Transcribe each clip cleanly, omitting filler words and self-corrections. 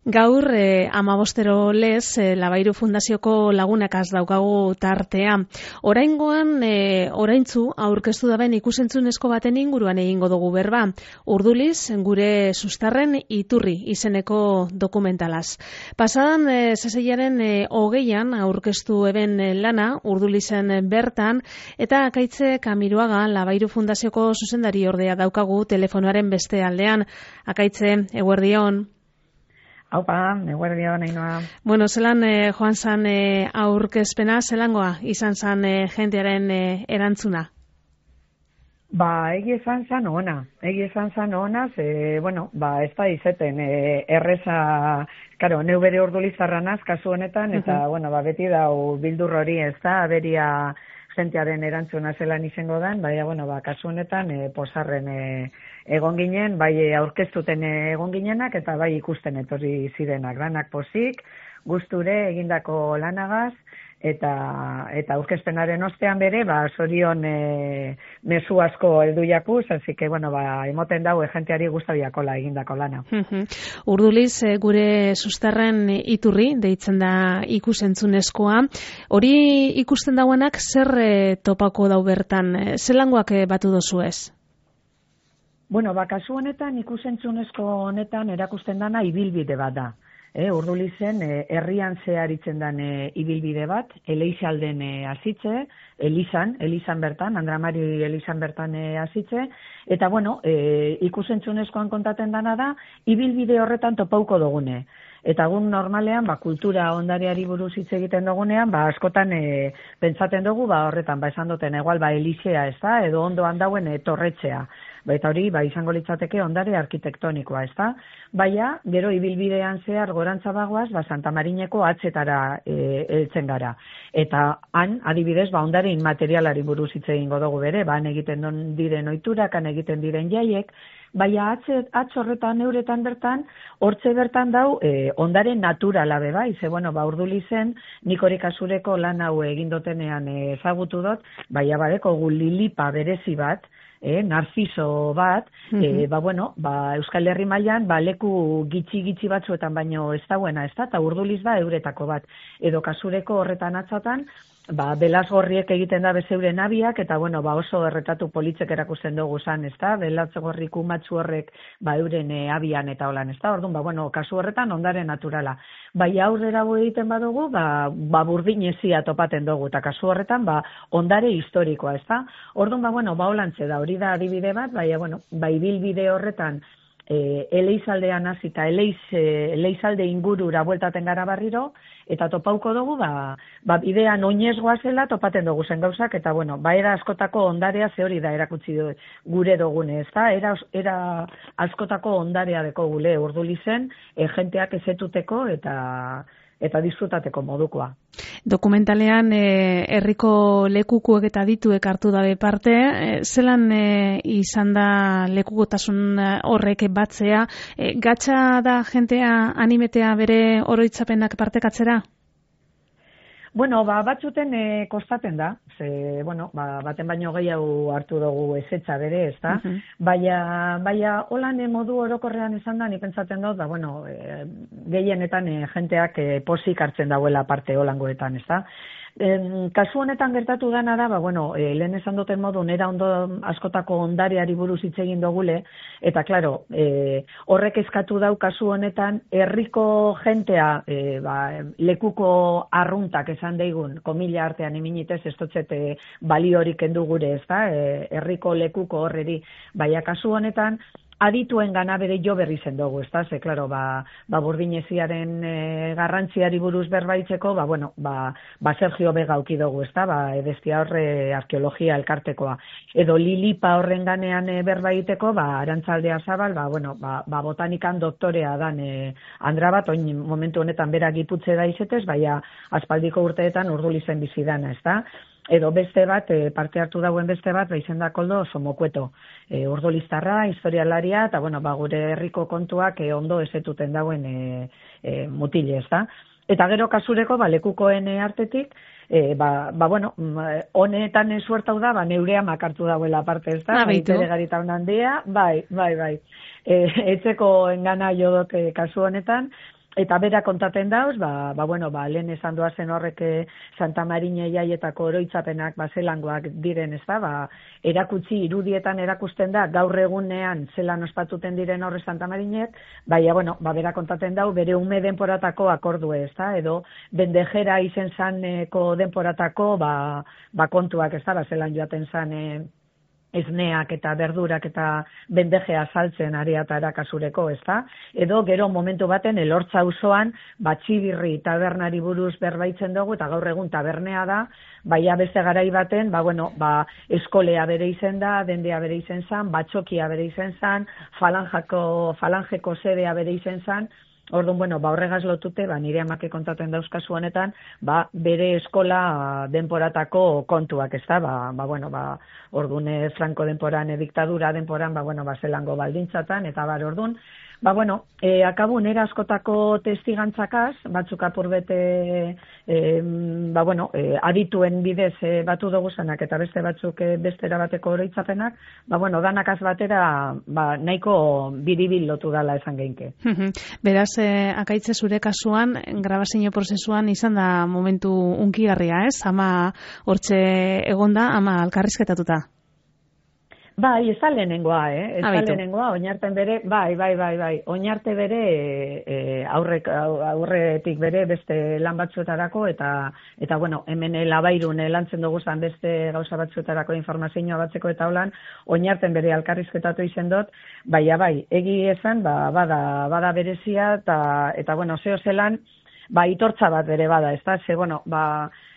Gaur, 15 lez, Labairu Fundazioko lagunakaz daukagu tartea. Oraingoan, oraintzu, aurkeztu daben ikusentzunezko baten inguruan egingo dugu berba. Urduliz, gure sustarren iturri izeneko dokumentalaz. Pasadan, zazeiaren 20an aurkeztu eben lana, Urdulizen bertan, eta Akaitze Kamiruaga, Labairu Fundazioko zuzendari ordea daukagu telefonoaren beste aldean. Akaitze, eguerdion. Haupa, eguerdion, Ainhoa. Bueno, zelan joan zan aurkezpena, zelangoa izan zan jentearen erantzuna? Egi esan zan ona, ez da izeten erreza, karo, neu bere Urdulizarranaz kasu honetan, eta, beti dau bildur hori ez da, aberia jentearen erantzuna zelan izango dan, kasu honetan posarren egon ginen, bai aurkeztuten egon ginenak, eta bai ikusten etorri zirenak, lanak posik, gusture egindako lanagaz, eta aurkezpenaren ostean bere, sorion mezu asko heldu jakuz, así que, emoten dau jenteari gustabiakola egindako lana. Urduliz, gure sustarren iturri, deitzen da ikusentzunezkoa. Hori ikusten dauanak zer topako dau bertan? Zelangoak batu dozu ez? Kasu honetan, ikusentzunezko honetan erakusten dana ibilbide bat da. Urdulizen herrian zeharitzen den ibilbide bat, Eleixalden hasitze, Elizan bertan, Andramari Elizan bertan hasitze, eta ikusentzunezkoan kontaten dana da, ibilbide horretan topauko dugune. Eta gun normalean, kultura ondareari buruz hitz egiten dugunean, askotan pentsaten dugu, horretan, esan duten, igual, Elizea, ez da, edo ondoan dauen torretxea. Eta hori, izango litzateke ondare arkitektonikoa, ez da? Baina, gero ibilbidean zehar gorantza bagoaz, Santa Marineko atzetara heltzen gara. Eta han, adibidez, ondare inmaterialari buruz hitz egingo dugu bere, han egiten diren ohiturak, han egiten diren jaiek, baina horretan, euretan bertan, hortze bertan dau, ondare naturala beba, Urdulizen, nik hori kasureko lan hau egindotenean ezagutu dut, baina badeko gu lilipa berezi bat, narziso bat, Euskal Herri mailan leku gitxi batzuetan baino ez dauena, ez da, eta Urduliz da euretako bat. Edo kasureko horretan atzatan, belazgorriek egiten da bezeuren abiak, eta oso erretatu politzek erakusten dugu zan, ez da, belazgorri kumatzu horrek euren abian eta holan, ez da, orduan, kasu horretan ondare naturala. Aurrera egiten badugu, burdinezia topaten dugu, eta kasu horretan, ondare historikoa, ez da. Orduan, holantze da, hori da adibide bat, bilbide horretan, Eleizaldean hasita, Eleizalde ingurura bueltaten gara barriro, eta topauko dugu, bidean oinez goazela topaten dugu zen gauzak, eta era askotako ondarea ze hori da erakutsi gure dugune, ez da, era askotako ondarea deko gule Urdulizen, jenteak ezetuteko eta disfrutateko modukoa. Dokumentalean herriko lekukuek eta dituek hartu dabe parte, zelan izan da lekukotasun horrek batzea, gatsa da jentea animetea bere oroitzapenak partekatzera? Batzuten kostaten da, baten baino gehiago hartu dugu ezetza bere, ez da? Baina, holan modu orokorrean izan da, ni pentsaten dut, gehienetan jenteak posik hartzen dauela parte holangoetan, ez da? Kasu honetan gertatu dana da, lehen esan duten modu, nera askotako ondareari buruz hitz egin dugule, eta, klaro, horrek eskatu dau kasu honetan, herriko jentea, lekuko arruntak esan daigun, komila artean eminitez, ez dotzete baliorik endu gure, ez da, herriko lekuko horreri, baina kasu honetan, adituen gana bere jo berri zen dugu, ez da, ze, klaro, burdineziaren garrantziari buruz berbaitzeko, Sergio Vega auki dugu, ez da, edestia horre arkeologia elkartekoa. Edo lilipa horren ganean berbaiteko, Arantzaldea Zabal, botanikan doktorea dan andra bat, oin momentu honetan bera giputze da izetez, baina aspaldiko urteetan Urdulizen bizidana, ez da. Edo beste bat, parte hartu dauen beste bat, izen da Koldo Somokueto. Urduliztarra, historialaria, eta gure herriko kontuak ondo ezetuten dauen mutile, ez da. Eta gero kasureko, lekukoen artetik, honetan suertau da, neurea makartu dauela parte, ez da. Bere garita honan dia, bai. Etzeko engana jo dut kasu honetan, Eta bera kontaten dauz, lehen esan doazen horrek Santa Marina jaietako oroitzapenak zelangoak diren, ez da, erakutsi irudietan erakusten da, gaur egunean zelan ospatuten diren horre Santa Marinek, bera kontaten dau, bere ume denporatako akordue, ez da, edo bendejera izen zaneko denporatako, kontuak, ez da, zelan joaten zan, esneak eta berdurak eta bendejea saltzen ariatara kasureko, ez da? Edo gero momentu baten elortza auzoan Txibirri tabernari buruz berbaitzen dugu, eta gaur egun tabernea da, baina beste garai baten, eskolea bere izen da, dendea bere izen zan, batxokia bere izen zan, falangeko sedea bere izen zan. Orduan, horregaz lotute, nire amake kontaten dauzkazu honetan, bere eskola denporatako kontuak, ez da, orduan Franco denporan, diktadura denporan, zelango baldintzatan, eta orduan, akabu nera askotako testigantzakaz, batzuk apurbete, adituen bidez batu dugu zanak, eta beste batzuk bestera bateko oroitzapenak, danakaz batera, nahiko biribil lotu dala esan geinke. Beraz, akaitze zure kasuan, grabazio prozesuan izan da momentu unkigarria, ez? Ama hortxe egonda, ama alkarrizketatuta. Bai, ez da lehenengoa, ez da lehenengoa, oinarten bere, oinarte bere aurretik bere beste lan batzuetarako, eta hemen labairun lantzen dugu zan beste gauza batzuetarako informazioa batzeko eta holan, oinarten bere alkarrizketatu izen dut, egi esan, bada berezia, eta zeo zelan, itortza bat bere bada, ez da,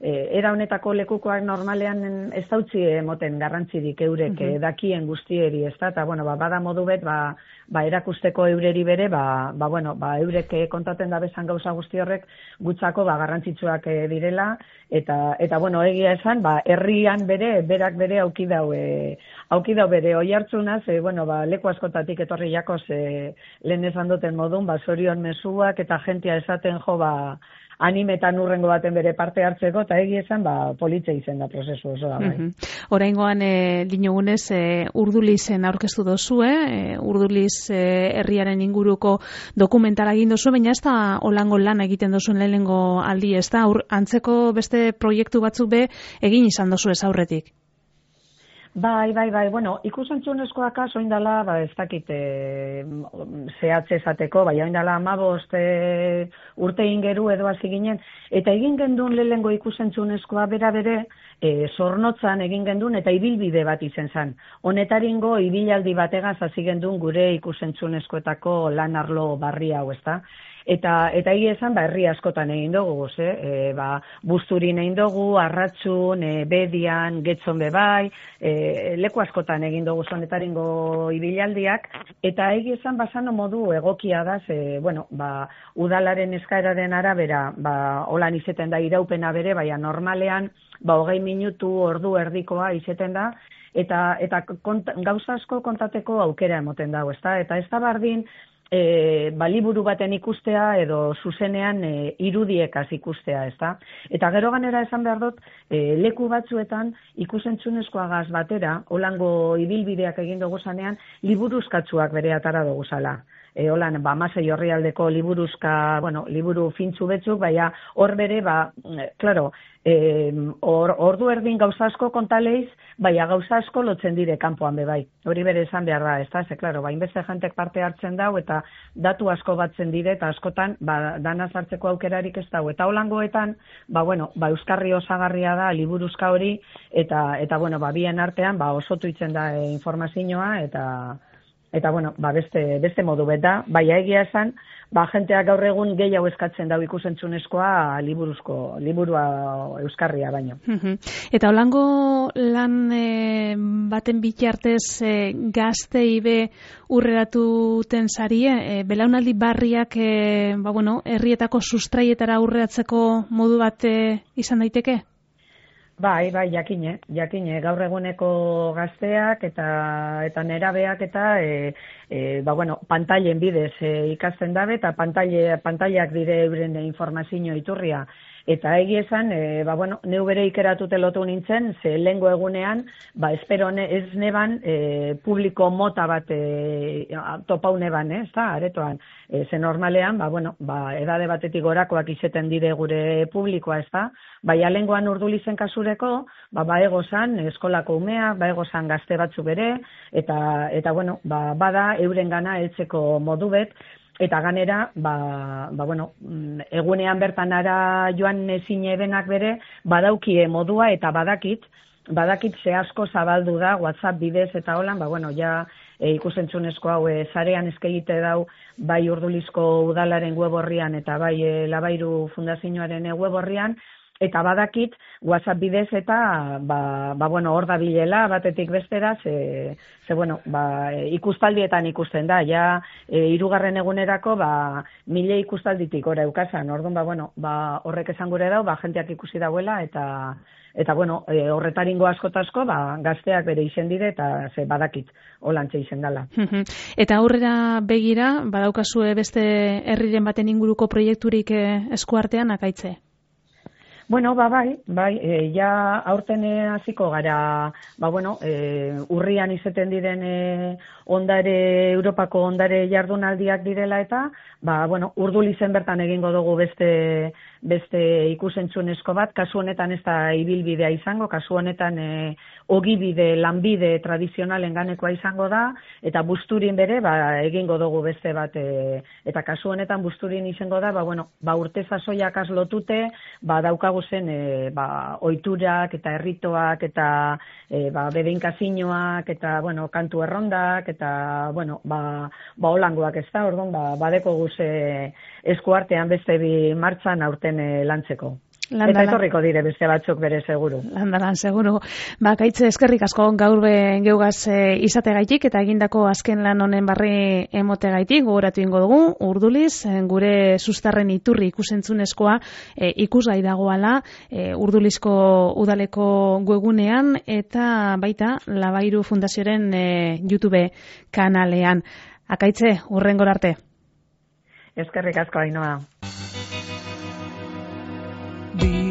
era honetako lekukoak normalean ez dautzi emoten garrantzirik eurek dakien guztieri, ez da, eta bada modu bet, erakusteko eureri bere, eurek kontaten da bezan gauza guzti horrek gutzako garrantzitsuak direla, eta egia esan, herrian bere, berak bere auki dau bere oihartzunaz, leku askotatik etorri jakoz lehen esan duten modun, zorion mezuak eta jentia esaten jo, animetan urrengo baten bere parte hartzeko, eta egia esan, politxe izen da prozesu osoa. Oraingoan, dinogunez, Urdulizen aurkeztu dozue, Urduliz herriaren inguruko dokumentala egin dozu, baina ez da holango lan egiten dozuen lehenengo aldi, ez da, antzeko beste proiektu batzuk be egin izan dozu ez aurretik. Ikusentzunezkoak oin dala, ez dakit zehatze esateko, oin dala 15 urte ingeru edo hasi ginen, eta egin gendun lehengo ikusentzunezkoa bera bere, zornotzan egin gendun eta ibilbide bat izen zan. Honetaringo ibilaldi bategaz hasi gendun gure ikusentzunezkoetako lan arlo barri hau, ez da? Eta egia esan, herri askotan egin dugu, Busturin egin dugu, Arratxun, Bedian, Getxon bebai, leku askotan egin dugu zonetaringo ibilaldiak, eta egia esan basano modu egokia da, udalaren eskaeraren arabera, holan izeten da iraupena bere, normalean, 20 minutu ordu erdikoa izeten da, eta gauza asko kontateko aukera emoten dago, eta ez da bardin, liburu baten ikustea edo zuzenean irudiekaz ikustea, ez da? Eta gero ganera esan behar dut, leku batzuetan ikusentzunezkoagaz batera, holango ibilbideak egin dugu zanean, liburuzkatzuak bere atara dugu zala. Holan, Masei Orrialdeko liburuzka, liburu fintzu betzuk, baina hor bere, ordu erdin gauza asko kontaleiz, baina gauza asko lotzen dire kanpoan bebai. Hori bere esan behar da, ez da, inbeste jentek parte hartzen dau, eta datu asko batzen dire, eta askotan, danaz hartzeko aukerarik ez dau. Eta holangoetan, euskarri osagarria da liburuzka hori, eta bien artean, osotu itzen da informazioa, eta beste modu beta, egia esan, jenteak gaur egun gehiago eskatzen dau ikusentzunezkoa liburua euskarria baino. Eta holango lan baten bitartez gaztei be urreratuten zarie, belaunaldi barriak herrietako sustraietara urreatzeko modu bat izan daiteke? Jakine, gaur eguneko gazteak eta nerabeak eta pantailen bidez ikasten dabe, eta pantailak dire euren informazio iturria. Eta egia esan, neu bere ikeratute lotu nintzen, ze lehengo egunean, espero ez neban publiko mota bat topau neban, ez da, aretoan. Ze normalean, edade batetik gorakoak izeten dire gure publikoa, ez da. Alengoan Urdulizen kasureko, egozan eskolako umea, egozan gazte batzu bere, eta bada euren gana heltzeko modu bet, eta ganera, egunean bertan ara joan ezin ebenak bere, badaukie modua eta badakit ze asko zabaldu da, WhatsApp bidez eta holan, ikusentzunezko hau zarean eskegite dau, bai Urdulizko udalaren web horrian eta bai Labairu Fundazioaren web horrian, eta badakit WhatsApp bidez eta hor da bilela batetik bestera, ikustaldietan ikusten da, hirugarren egunerako 1000 ikustalditik ora eukasan, orduan horrek esan gure dau, jenteak ikusi dauela eta horretaringo askotasko gazteak bere izen dire eta badakit holantxe izen dela. Eta aurrera begira, badaukazue beste herriren baten inguruko proiekturik eskuartean akaitze? Aurten hasiko gara, urrian izeten diren Europako ondare jardunaldiak direla eta, Urdulizen bertan egingo dugu beste ikusentzunezko bat, kasu honetan ez da ibilbidea izango, kasu honetan ogibide, lanbide tradizionalen ganekoa izango da, eta Busturin bere egingo dugu beste bat, eta kasu honetan Busturin izango da, urte sasoiak aslotute, daukagu zen oiturak eta erritoak eta bedeinkazinoak eta kantu errondak eta holangoak ez da, orduan badeko guze eskuartean beste bi martxan aurten lantzeko. Eta etorriko dire beste batzuk bere seguru. Landaran, seguru. Kaitze, eskerrik asko gaur geugaz izategaitik eta egindako azken lan honen barri emotegaitik, gogoratu ingo dugu, Urduliz, gure sustarren iturri ikusentzunezkoa ikusgai dagoala Urdulizko udaleko webgunean eta baita Labairu Fundazioaren YouTube kanalean. Akaitze, hurrengor arte. Eskerrik asko, Ainhoa. Be